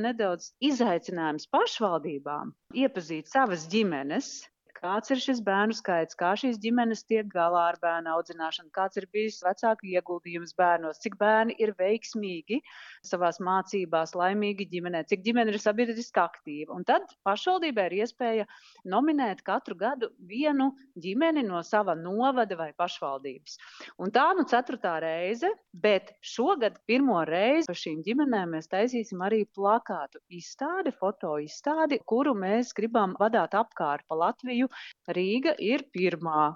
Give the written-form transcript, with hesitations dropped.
nedaudz izaicinājums pašvaldībām iepazīt savas ģimenes. Kāds ir šis bērnu skaits, kā šīs ģimenes tiek galā ar bērnu audzināšanu, kāds ir bijis vecāku ieguldījums bērnos, cik bērni ir veiksmīgi savās mācībās, laimīgi ģimenē, cik ģimene ir sabiedriski aktīva. Un tad pašvaldībai ir iespēja nominēt katru gadu vienu ģimeni no sava novada vai pašvaldības. Un tā 4. reize, bet šogad pirmo reizi par šīm ģimenēm mēs taisīsim arī plakātu izstādi, foto izstādi, kuru mēs gribam vadāt apkārt pa Latviju. Rīga ir pirmā.